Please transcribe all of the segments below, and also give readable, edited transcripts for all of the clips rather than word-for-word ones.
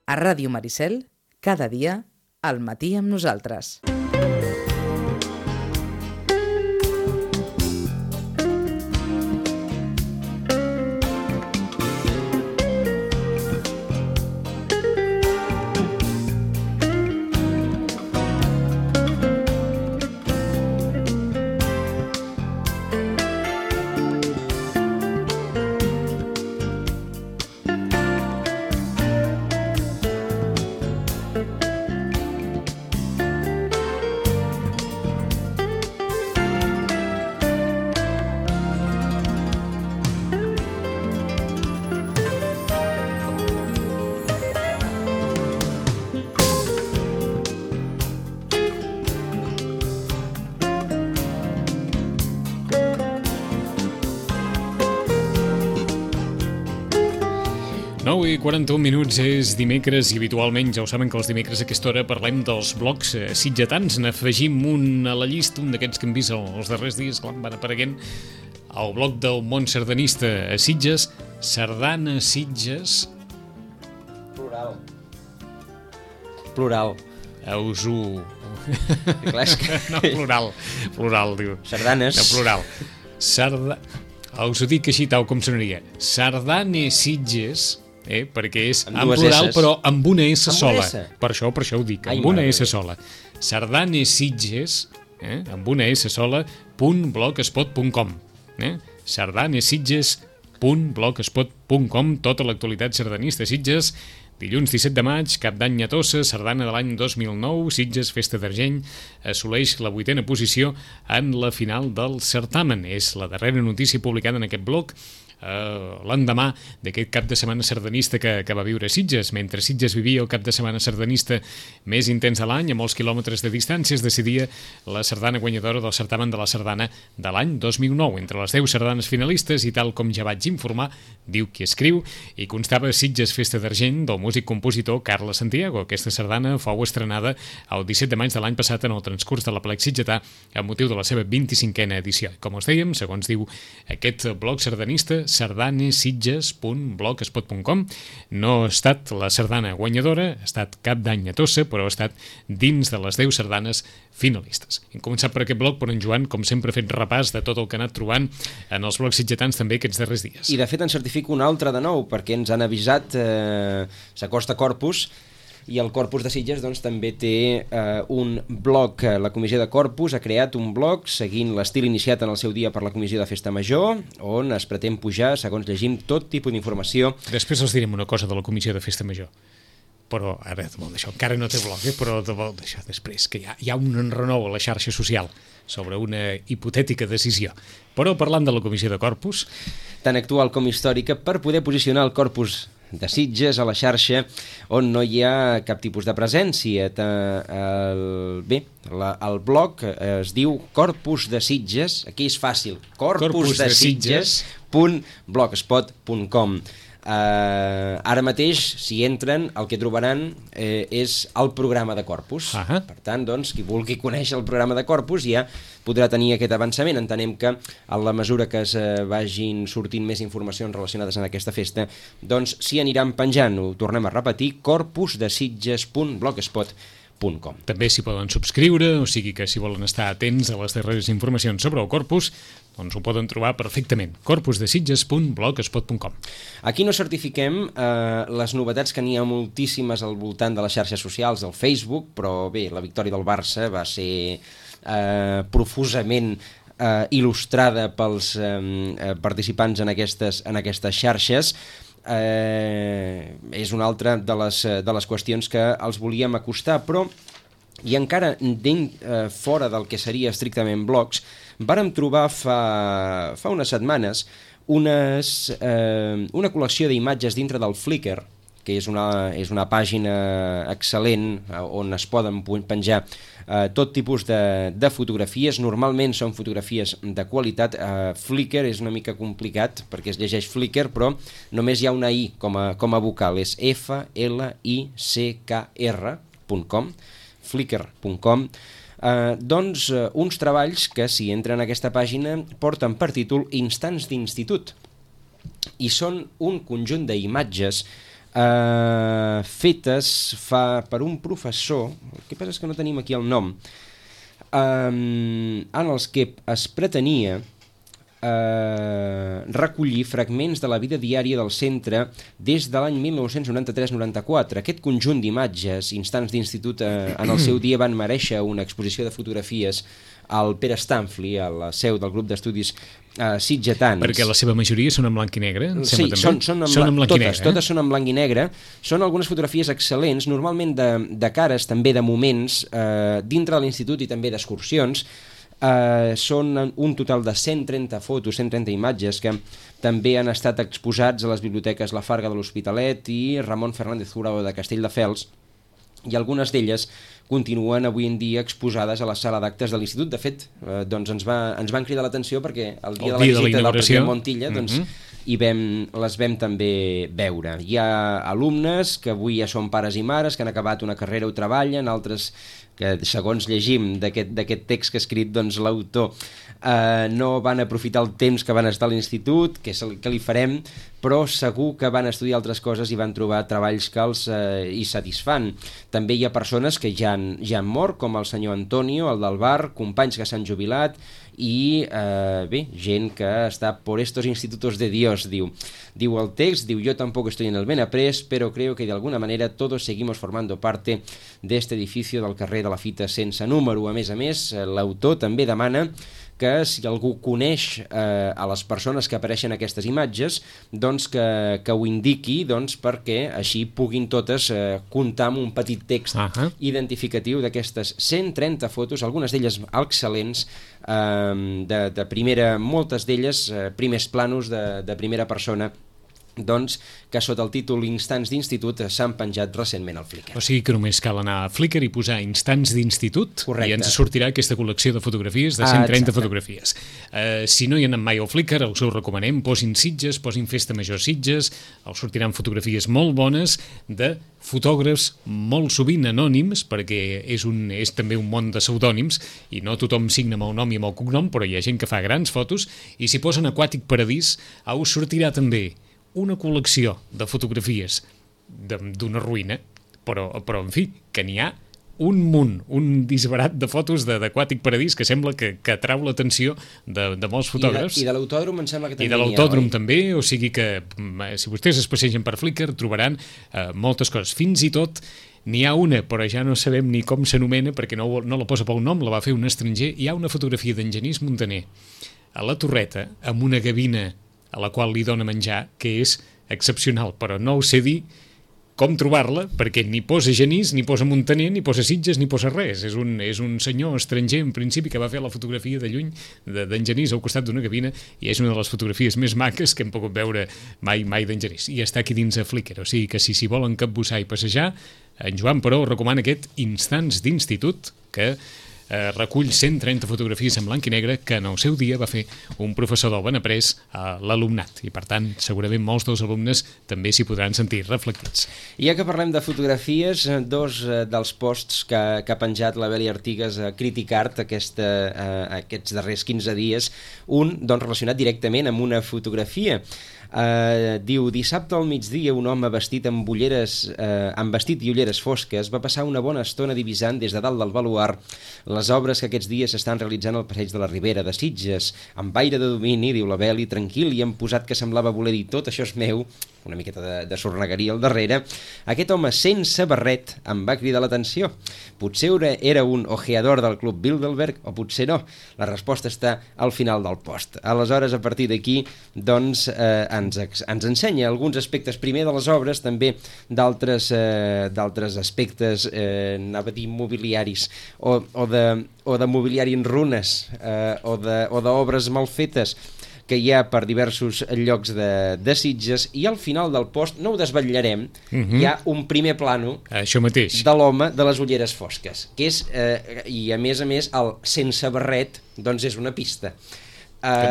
A Ràdio Maricel, cada dia, al matí amb nosaltres. I 41 minuts, és dimecres i habitualment ja ho saben que els dimecres a aquesta hora parlem dels blogs sitgetans. N'afegim un a la llista, un d'aquests que hem vist els darrers dies quan van apareguent, el blog del món sardanista a Sitges, Sardana Sitges... Plural. Us ho... Clar, és que... No, plural, diu. Sardanes. No, plural. Us ho dic així tal com sonaria. Sardane Sitges... perquè és en plural, però amb una S sola. Per això ho dic, amb una S sola. Sardane Sitges, amb una S sola, .blogspot.com. sardanesitges.blogspot.com. Tota l'actualitat sardanista a Sitges. Dilluns 17 de maig, Cap d'Any a Tossa, sardana de l'any 2009, Sitges, Festa d'Argent, assoleix la 8a posició en la final del certamen. És la darrera notícia publicada en aquest blog l'endemà d'aquest cap de setmana sardanista que va viure Sitges. Mentre Sitges vivia el cap de setmana sardanista més intens de l'any, a molts quilòmetres de distància, es decidia la sardana guanyadora del certamen de la sardana de l'any 2009. Entre les 10 sardanes finalistes, i tal com ja vaig informar, diu qui escriu, i constava Sitges Festa d'Argent del músic-compositor Carles Santiago. Aquesta sardana fou estrenada el 17 de maig de l'any passat en el transcurs de l'Aplec Sitgetà amb motiu de la seva 25a edició. Com us dèiem, segons diu aquest blog sardanista, sardanesitges.blogspot.com. No ha estat la sardana guanyadora, ha estat Cap d'Any a Tossa, però ha estat dins de les 10 sardanes finalistes. Hem començat per aquest blog, però en Joan, com sempre, ha fet repàs de tot el que ha anat trobant en els blogs sitgetans també aquests darrers dies. I de fet en certifico un altre de nou, perquè ens han avisat, s'acosta Corpus, i el Corpus de Sitges doncs, també té un blog. La Comissió de Corpus ha creat un blog seguint l'estil iniciat en el seu dia per la Comissió de Festa Major, on es pretén pujar, segons llegim, tot tipus d'informació. Després els direm una cosa de la Comissió de Festa Major, però ara d'això encara no té blog, però d'això després, que hi ha un enrenou a la xarxa social sobre una hipotètica decisió. Però parlant de la Comissió de Corpus... Tan actual com històrica, per poder posicionar el Corpus de Sitges a la xarxa on no hi ha cap tipus de presència. El blog es diu Corpus de Sitges, aquí és fàcil, corpusdesitges.blogspot.com. Ara mateix, si entren, el que trobaran és el programa de Corpus. Per tant, doncs, qui vulgui conèixer el programa de Corpus ja podrà tenir aquest avançament. Entenem que a la mesura que es vagin sortint més informacions relacionades amb aquesta festa, doncs s'hi aniran penjant. Ho tornem a repetir, corpusdesitges.blogspot.com. També s'hi poden subscriure, o sigui que si volen estar atents a les darreres informacions sobre el Corpus, doncs ho poden trobar perfectament, corpusdesitges.blogspot.com. Aquí no certifiquem les novetats, que n'hi ha moltíssimes al voltant de les xarxes socials, del Facebook, però bé, la victòria del Barça va ser profusament il·lustrada pels participants en aquestes xarxes. És una altra de les qüestions que els volíem acostar, però i encara fora del que seria estrictament blogs, vàrem trobar fa unes setmanes una col·lecció d'imatges dintre del Flickr, que és una pàgina excel·lent on es poden penjar tot tipus de fotografies. Normalment són fotografies de qualitat. Flickr és una mica complicat perquè es llegeix Flickr, però només hi ha una I com a vocal, és flickr.com, flickr.com. Doncs uns treballs que, si entren a aquesta pàgina, porten per títol Instants d'institut, i són un conjunt d'imatges fetes per un professor, el que passa és que no tenim aquí el nom, en els que es pretenia recollir fragments de la vida diària del centre des de l'any 1993-94. Aquest conjunt d'imatges, instants d'institut, en el seu dia van merèixer una exposició de fotografies al Pere Stanfli, a la seu del grup d'estudis sitgetans. Perquè la seva majoria són en blanc i negre? Sí, són en blanc i negre. Totes són en blanc i negre. Són algunes fotografies excel·lents, normalment de cares, també de moments, dintre de l'institut i també d'excursions. Són un total de 130 fotos, 130 imatges que també han estat exposats a les biblioteques La Farga de l'Hospitalet i Ramon Fernández Jurado de Castelldefels, i algunes d'elles continuen avui en dia exposades a la sala d'actes de l'Institut. De fet, doncs ens van cridar l'atenció perquè el dia de la visita del president Montilla les vam també veure. Hi ha alumnes que avui ja són pares i mares, que han acabat una carrera o treballen, altres que, segons llegim d'aquest text que ha escrit l'autor, no van aprofitar el temps que van estar a l'institut, que li farem, però segur que van estudiar altres coses i van trobar treballs que els hi satisfan. També hi ha persones que ja han mort, com el senyor Antonio, el del bar, companys que s'han jubilat, i gent que està por estos institutos de Dios, diu el text, yo tampoco estoy en el Benaprés, pero creo que de alguna manera todos seguimos formando parte de este edificio del carrer de la Fita sense número. A més, l'autor també demana que si algú coneix a les persones que apareixen en aquestes imatges, doncs que ho indiqui, perquè així puguin totes comptar amb un petit text identificatiu d'aquestes 130 fotos, algunes d'elles excel·lents, de primera, moltes d'elles primers planos de primera persona, que sota el títol Instants d'Institut s'han penjat recentment al Flickr. O sigui que només cal anar a Flickr i posar Instants d'Institut. Correcte. I ens sortirà aquesta col·lecció de fotografies de 130 fotografies. Si no hi han anat mai al Flickr, els ho recomanem, posin Sitges, posin Festa Major Sitges, els sortiran fotografies molt bones de fotògrafs molt sovint anònims, perquè és també un món de pseudònims i no tothom signa amb el nom i amb el cognom, però hi ha gent que fa grans fotos, i si posen Aquàtic Paradís us sortirà també una col·lecció de fotografies d'una ruïna, però en fi, que n'hi ha un munt, un disbarat de fotos d'Aquàtic Paradís que sembla que atrau l'atenció de molts fotògrafs. I de l'autòdrom em sembla que també I de l'autòdrom també, o sigui que si vostès es passegen per Flickr trobaran moltes coses. Fins i tot n'hi ha una, però ja no sabem ni com s'anomena perquè no la posa pel nom, la va fer un estranger. Hi ha una fotografia d'en Genís Montaner a la Torreta amb una gavina a la qual li dona menjar, que és excepcional, però no ho sé dir com trobar-la, perquè ni posa Genís, ni posa Montaner, ni posa Sitges, ni posa res. És un senyor estranger, en principi, que va fer la fotografia de lluny d'en Genís al costat d'una gavina, i és una de les fotografies més maques que hem pogut veure mai d'en Genís. I està aquí dins a Flickr, o sigui que si volen capbussar i passejar, en Joan, però, recomana aquest Instants d'Institut, que recull 130 fotografies en blanc i negre que en el seu dia va fer un professor del Benaprés a l'alumnat, i per tant segurament molts dels alumnes també s'hi podran sentir reflectits. I ja que parlem de fotografies, dos dels posts que ha penjat la Beli Artigas a Criticart aquests darrers 15 dies, un relacionat directament amb una fotografia. Diu: dissabte al migdia un home vestit amb vestit i ulleres fosques va passar una bona estona divisant des de dalt del baluard les obres que aquests dies s'estan realitzant al passeig de la Ribera de Sitges, amb aire de domini, diu la Beli, tranquil, i amb posat que semblava voler dir tot això és meu, una miqueta de sornegueria al darrere. Aquest home sense barret em va cridar l'atenció. Potser era un ojeador del Club Bilderberg o potser no. La resposta està al final del post. Aleshores, a partir d'aquí, ens ensenya alguns aspectes, primer de les obres, també d'altres aspectes, anava a dir mobiliaris, o de mobiliari en runes, o d'obres mal fetes que hi ha per diversos llocs de Sitges, i al final del post, no ho desvetllarem, hi ha un primer plano això mateix de l'home de les ulleres fosques, que és, i a més, el sense barret, doncs és una pista.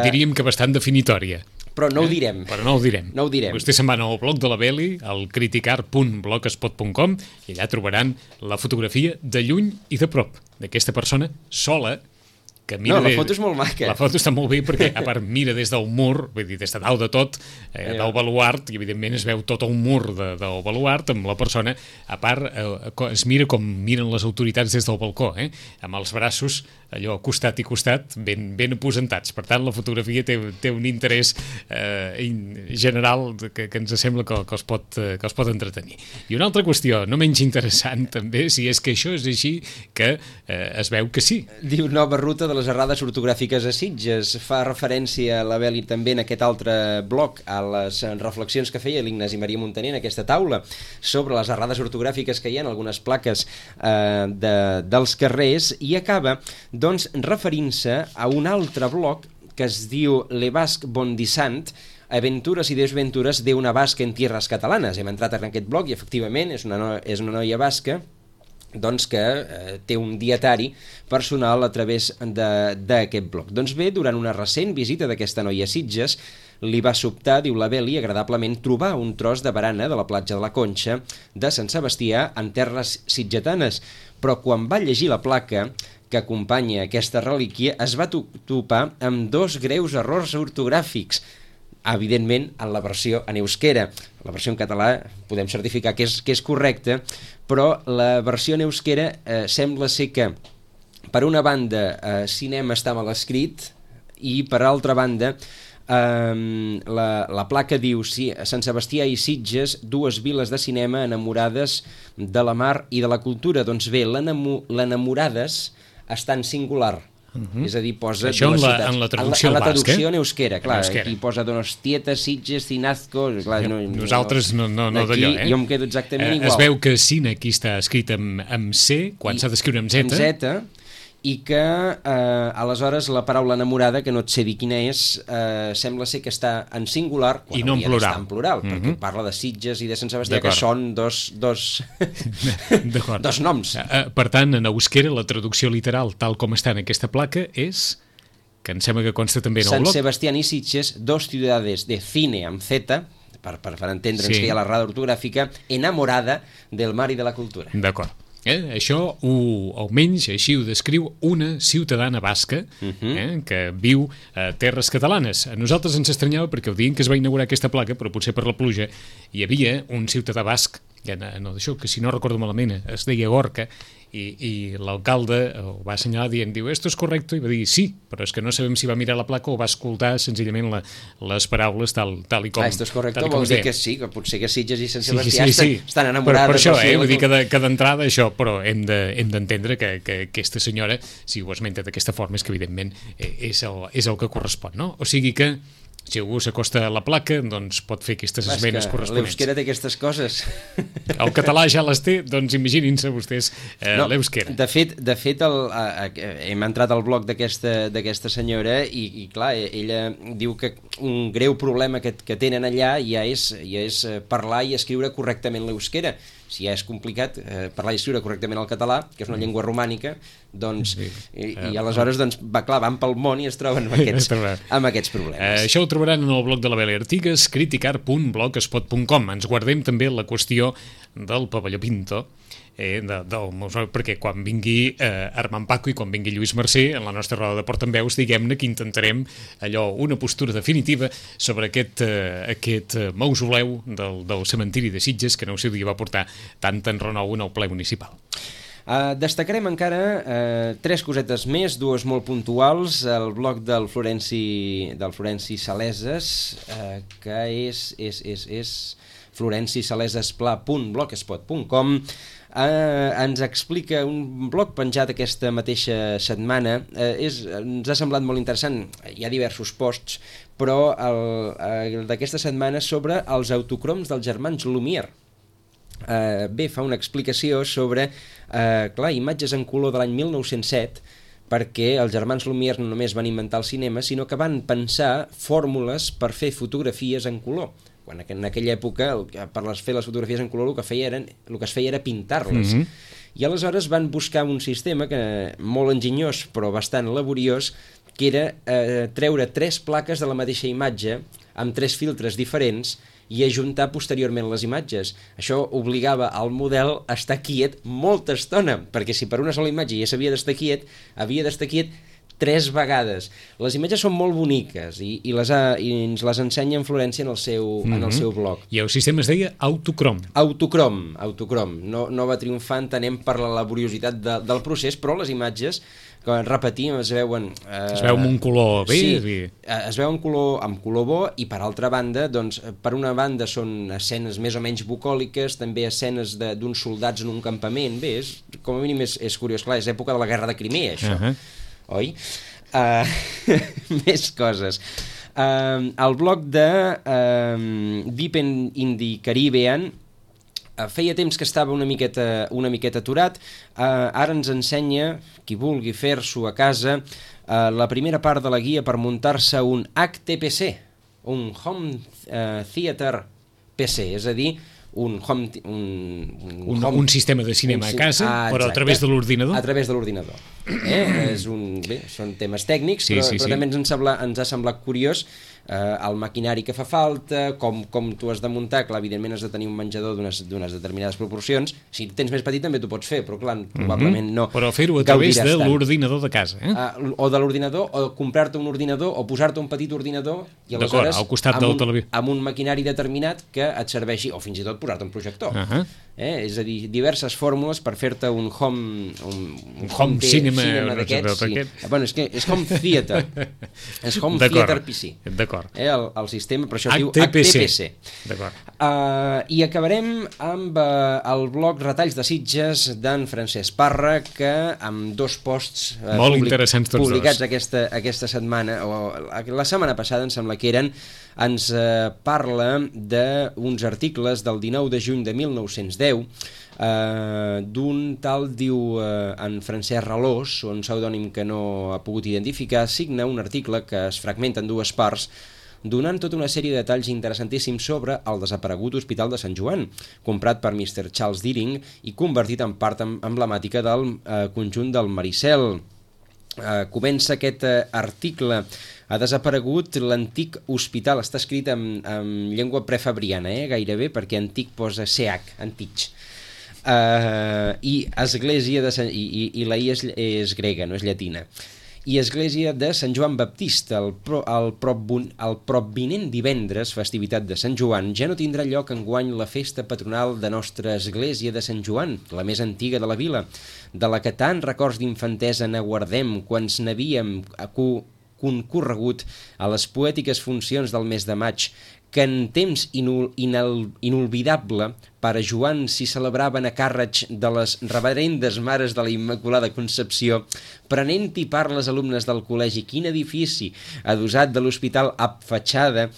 Diríem que bastant definitòria. Però no ho direm. Però no ho direm. Vostès se'n van al blog de la Beli, al criticart.blogspot.com, i allà trobaran la fotografia de lluny i de prop d'aquesta persona sola que mira... No, la foto és molt maca. La foto està molt bé perquè, a part, mira des del mur, vull dir, des de dalt de tot, del baluart, i evidentment es veu tot el mur del baluart amb la persona. A part, es mira com miren les autoritats des del balcó, amb els braços allò costat i costat ben aposentats. Per tant, la fotografia té un interès general que ens sembla que els pot entretenir. I una altra qüestió, no menys interessant també, si és que això és així, que es veu que sí. Diu nova ruta de les errades ortogràfiques a Sitges. Fa referència a la Beli també en aquest altre bloc a les reflexions que feia l'Ignasi Maria Montaner en aquesta taula sobre les errades ortogràfiques que hi ha en algunes plaques dels carrers, i acaba doncs referint-se a un altre bloc que es diu Le Basc Bondissant, aventures i desventures d'una basca en tierras catalanes. Hem entrat en aquest bloc i efectivament és una noia basca doncs que té un dietari personal a través d'aquest bloc. Doncs bé, durant una recent visita d'aquesta noia a Sitges, li va sobtar, diu la Beli, agradablement trobar un tros de barana de la platja de la Conxa de Sant Sebastià en terres sitgetanes, però quan va llegir la placa que acompanya aquesta relíquia es va topar amb dos greus errors ortogràfics, evidentment en la versió en euskera. La versió en català podem certificar que és correcta, però la versió en euskera sembla ser que per una banda cinema està mal escrit i per altra banda la placa diu Sant Sebastià i Sitges, dues viles de cinema enamorades de la mar i de la cultura. Doncs bé, l'enamorades està en singular. És a dir, posa això dues ciutats. en la traducció en la basca, traducció en euskera, clar, en euskera. aquí posa Donostieta, Sitges, Cinazco, clar, nosaltres no d'allò, jo em quedo exactament igual. Es veu que Cine aquí està escrit amb C, quan s'ha d'escriure amb Z. Amb Z, i que aleshores la paraula enamorada, que no et sé dir quina és, sembla ser que està en singular quan i no en hauria d'estar plural, en plural, perquè parla de Sitges i de Sant Sebastià, que són dos noms. Per tant, en euskera la traducció literal tal com està en aquesta placa és, que em sembla que consta també en el Sant blog, Sebastián i Sitges, dos ciudades de cine amb Z, per entendre'ns que hi ha l'errada ortogràfica, enamorada del mar i de la cultura. D'acord. Això, almenys així ho descriu una ciutadana basca que viu a terres catalanes. A nosaltres ens estranyava perquè el dia en què es va inaugurar aquesta placa, però potser per la pluja, hi havia un ciutadà basc, que si no recordo malament es deia Gorka, i l'alcalde ho va assenyalar dient, diu, esto es correcto, i va dir sí, però és que no sabem si va mirar la placa o va escoltar senzillament les paraules tal i com... esto es correcto vol dir que sí, que potser que Sitges i Sant Sebastià estan enamorades. Per això, vull dir que d'entrada això, però hem d'entendre que aquesta senyora, si ho esmenta d'aquesta forma, és que evidentment és el que correspon, no? O sigui que si algú s'acosta a la placa, doncs pot fer aquestes esmenes corresponents. L'euskera té aquestes coses. El català ja les té, doncs imaginin-se vostès l'euskera. De fet hem entrat al blog d'aquesta senyora i clar, ella diu que un greu problema que tenen allà ja és parlar i escriure correctament l'euskera. Si ja és complicat parlar i escriure correctament el català, que és una llengua romànica, doncs, i aleshores van pel món i es troben amb aquests problemes. Això ho trobaran en el blog de la Beli Artigas, criticar.blogspot.com. Ens guardem també la qüestió del pavelló Pinto, perquè quan vingui Armand Paco i quan vingui Lluís Mercè en la nostra roda de portaveus, diguem-ne que intentarem una postura definitiva sobre aquest mausoleu del cementiri de Sitges, que en el seu dia va portar tant enrenou en el ple municipal. Destacarem encara tres cosetes més, dues molt puntuals. El blog del Florenci Saleses, que és florencissalesespla.blogspot.com. Ens explica un blog penjat aquesta mateixa setmana. Ens ha semblat molt interessant, hi ha diversos posts, però d'aquesta setmana sobre els autocroms dels germans Lumière. Fa una explicació sobre imatges en color de l'any 1907, perquè els germans Lumière no només van inventar el cinema, sinó que van pensar fórmules per fer fotografies en color. Quan en aquella època, per fer les fotografies en color, el que es feia era pintar-les. I aleshores van buscar un sistema molt enginyós, però bastant laboriós, que era treure 3 plaques de la mateixa imatge amb 3 filtres diferents i ajuntar posteriorment les imatges. Això obligava al model a estar quiet molta estona, perquè si per una sola imatge ja s'havia d'estar quiet, havia d'estar quiet 3 vegades. Les imatges són molt boniques i ens les ensenya en Florència en el seu blog. I el sistema es deia Autocrom. Autocrom. No va triomfar, entenem, per la laboriositat del procés, però les imatges, que repetim, es veuen... Es veu amb un color bé. Sí, es veu amb color bo, i per altra banda, doncs, per una banda són escenes més o menys bucòliques, també escenes d'uns soldats en un campament. Bé, com a mínim és curiós, clar, és època de la Guerra de Crimea, això, oi? Més coses. El blog de Deep in the Caribbean feia temps que estava una miqueta aturat. Ara ens ensenya, qui vulgui fer-s'ho a casa, la primera part de la guia per muntar-se un HTPC, un Home Theater PC, és a dir, un sistema de cinema a casa, però a través de l'ordinador. A través de l'ordinador. Són temes tècnics, però també ens ha semblat curiós el maquinari que fa falta, com tu has de muntar. Clar, evidentment has de tenir un menjador d'unes determinades proporcions. Si tens més petit també t'ho pots fer, però clar, probablement no. Però fer-ho a través de l'ordinador de casa. O de l'ordinador, o comprar-te un ordinador, o posar-te un petit ordinador, i aleshores al costat del televisor, amb un maquinari determinat que et serveixi, o fins i tot posar-te un projector. És a dir, diverses fórmules per fer-te un home cinema d'aquests. Bueno, és home theater. És home theater PC. D'acord. El sistema, per això es diu HTPC. D'acord. I acabarem amb el blog Retalls de Sitges d'en Francesc Parra, que amb 2 posts molt interessants tots publicats aquesta setmana, o la setmana passada em sembla que eren, ens parla d'uns articles del 19 de juny de 1910, d'un tal, diu, en Francesc Ralós, un pseudònim que no ha pogut identificar, signa un article que es fragmenta en 2 parts, donant tota una sèrie de detalls interessantíssims sobre el desaparegut Hospital de Sant Joan, comprat per Mr. Charles Deering i convertit en part emblemàtica del conjunt del Maricel. Comença aquest article: ha desaparegut l'antic hospital. Està escrit en llengua prefabriana, gairebé, perquè antic posa CH, antic. I església de Sant... I la I és grega, no és llatina. I església de Sant Joan Baptista. El provinent divendres, festivitat de Sant Joan, ja no tindrà lloc enguany la festa patronal de nostra església de Sant Joan, la més antiga de la vila, de la que tant records d'infantesa n'aguardem quan n'havíem concorregut a les poètiques funcions del mes de maig, que en temps inolvidable pare Joan s'hi celebraven a càrrec de les reverendes mares de la Immaculada Concepció, prenent-hi part les alumnes del col·legi. Quin edifici, adossat de l'hospital amb fatxada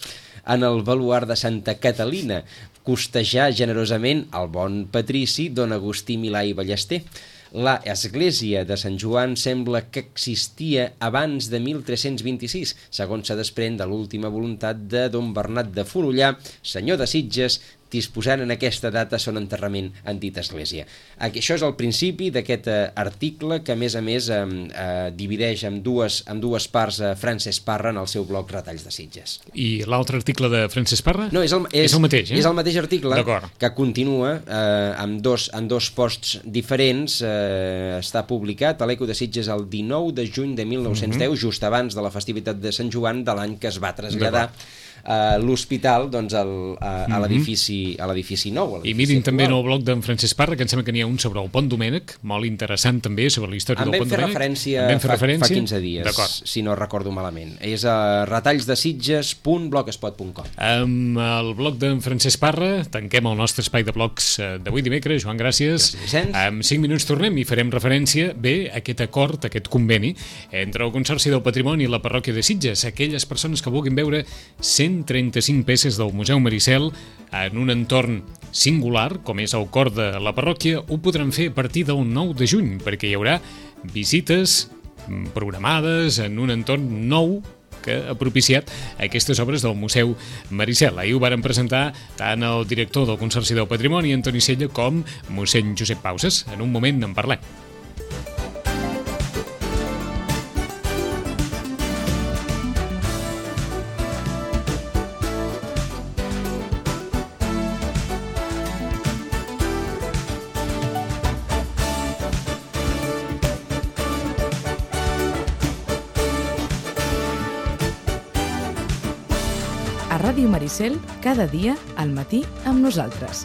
en el baluard de Santa Catalina, costejar generosament el bon patrici don Agustí Milà i Ballester. La església de Sant Joan sembla que existia abans de 1326, segons se desprèn de l'última voluntat de don Bernat de Fonollà, senyor de Sitges, disposant en aquesta data son enterrament en dita església. Això és el principi d'aquest article que, a més, divideix en dues parts Francesc Parra en el seu blog Retalls de Sitges. I l'altre article de Francesc Parra? No, és el mateix. És el mateix article, que continua amb dos posts diferents. Està publicat a l'Eco de Sitges el 19 de juny de 1910, just abans de la festivitat de Sant Joan de l'any que es va traslladar l'hospital a l'edifici nou. I mirin també en el blog d'en Francesc Parra, que em sembla que n'hi ha un sobre el Pont Domènec, molt interessant també sobre la història del Pont Domènec. En vam fer referència fa 15 dies, si no recordo malament. És a retallsdesitges.blogspot.com. Amb el blog d'en Francesc Parra tanquem el nostre espai de blogs d'avui dimecres. Joan, gràcies. En 5 minuts tornem i farem referència a aquest acord, aquest conveni entre el Consorci del Patrimoni i la Parròquia de Sitges. Aquelles persones que vulguin veure 135 peces del Museu Maricel en un entorn singular, com és el cor de la parròquia, ho podran fer a partir del 9 de juny, perquè hi haurà visites programades en un entorn nou que ha propiciat aquestes obres del Museu Maricel. Ahir ho varen presentar tant el director del Consorci del Patrimoni, Antoni Sella, com mossèn Josep Pauses. En un moment en parlem. Ràdio Maricel, cada dia al matí amb nosaltres.